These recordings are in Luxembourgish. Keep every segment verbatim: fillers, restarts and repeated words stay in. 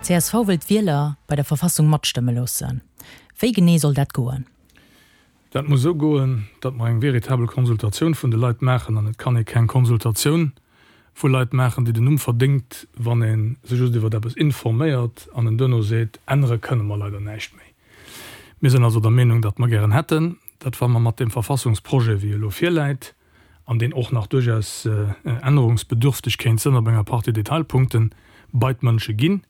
Csv wëll d'Wieler bei der Verfassung matstëmme loossen. Wéi genee soll dat goen? Dat muss esou goen, datt mer eng veritabel Konsultatioun vun de Leit maachen. An et kann ee keng Konsultatioun vu Leit maachen, déi den Numm verdéngt, wann ee se just iwwer eppes informéiert an en duerno seet, ännere kënne mer leider näischt méi. Mir sinn also der Meenung, datt mer gären hätten, datt wa mer mat deem Verfassungsprojet, wéi e elo virläit, an deen och nach duerchaus ännerungsbedürfteg kéint sënn op enger Partie Detailpunkten, bei d'Mënsche ginn,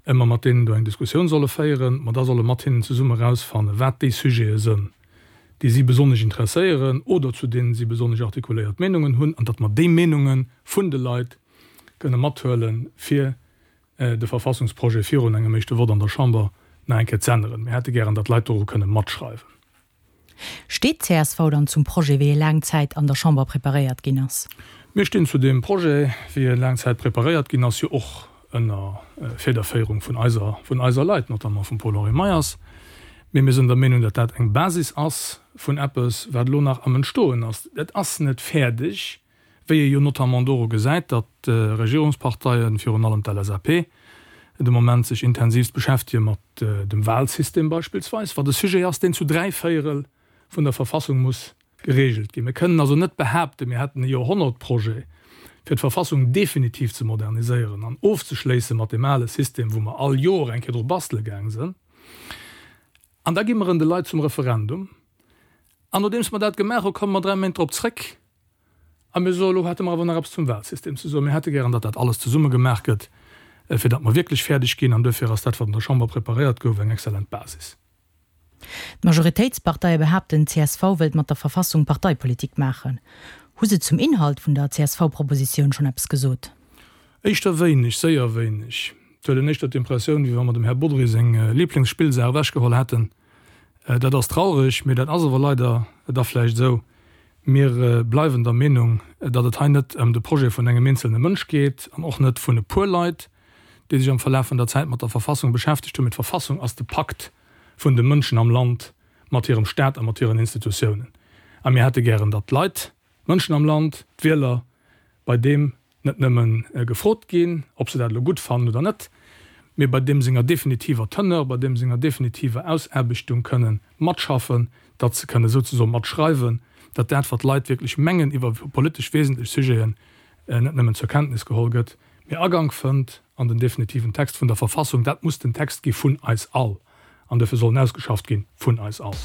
mer mat deenen do eng Diskussioun solle féieren, mer da solle mat hinnen zesumme erausfannen, wat déi Sujete sënn, déi si besonnesch interesséieren oder zu deenen si besonnesch artikuléiert Meenungen hunn, an datt mer déi Meenunge vun de Leit kënne mathuelen, fir de Verfassungsprojet virun engem éischte Vott an der Chamber nach eng Kéier z'änneren. Mir hätte gären, datt d'Leit doru kënne matschreiwen. Steet d'CSV dann zum Projet, wéi e laang Zäit an der Chamber preparéiert ginn ass? Mir stinn zu deem Projet, wéi e laang Zäit preparéiert ginn ass, jo och ënner Federféierung vun eiser, vun eiser Leit, notamment vum Paul-Henri Meyers. Mee mir sinn der Meenung, datt dat eng Basis ass vun eppes, wat elo nach am Entstoen ass. Et ass net fäerdeg, wéi ee jo notamment doru gesäit, datt d'Regierungsparteien, virun allem d'LSAP, de Moment sech intensivst beschäftege mat dem Wahlsystem beispillsweis, wat e Sujet ass, deen zu dräi Véierel vun der Verfassung muss geregelt ginn. Mir kënnen also net behaapten, mir hätten e Joerhonnertprojet, fir d'Verfassung definitiv ze moderniséieren an ofzeschléisse mat deem ale System, wou mer all Joer eng Kéier dru bastele gaang sinn. An da gi mer en de Leit zum Referendum. An nodeems mer dat gemaach hu, komme mer dräi Méint drop zréck a mir soen, elo hätte mer awer nach eppes zum Wahlsystem ze soen. Mir hätte gären, datt dat alles zesumme gemaach gëtt, fir datt mer wierklech fäerdeg ginn. An duerfir ass dat, wat an der Chamber preparéiert gouf, eng exzellent Basis. D'Majoritéitsparteie behaapten, csv wëllt mat der Verfassung Parteipolitik maachen. Hu se zum Inhalt vun der CSV-Propositioun schonn eppes gesot? Éischter wéineg, séier wéineg. Et huet een éischter d'Impressioun, wéi wa mer dem Här Bodry seng Liblingsspillsaach ewechgeholl hätten. Dat ass traureg, mee dat ass awer leider da vläicht esou. Mir bleiwen der Meenung, datt et hei net ëm de Projet vun engem eenzelne Mënsch geet an och net vun e puer Leit, déi sech am Verlaf vun der Zäit mat der Verfassung beschäftegt hunn, mee d'Verfassung ass de Pakt vun de Mënschen am Land mat hirem Staat a mat hiren Institutiounen. A mir hätte gären, datt d'Leit, d'Mënschen am Land, d'Wieler, bei deem net nëmme gefrot ginn, ob se dat elo gutt fannen oder net, mee bei deem senger definitiver Teneur, bei deem senger definitiver Ausaarbechtung kënnen matschaffen, datt se kënne souzesoen matschreiwen, datt dat, wat d'Leit wierklech mengen iwwer politesch wesentlech Sujeten, net nëmmen zur Kenntnis geholl gëtt, mee Agank fënnt an den definitiven Text vun der Verfassung. Dat muss den Text gi vun eis all an duerfir soll en ausgeschafft gi vun eis all.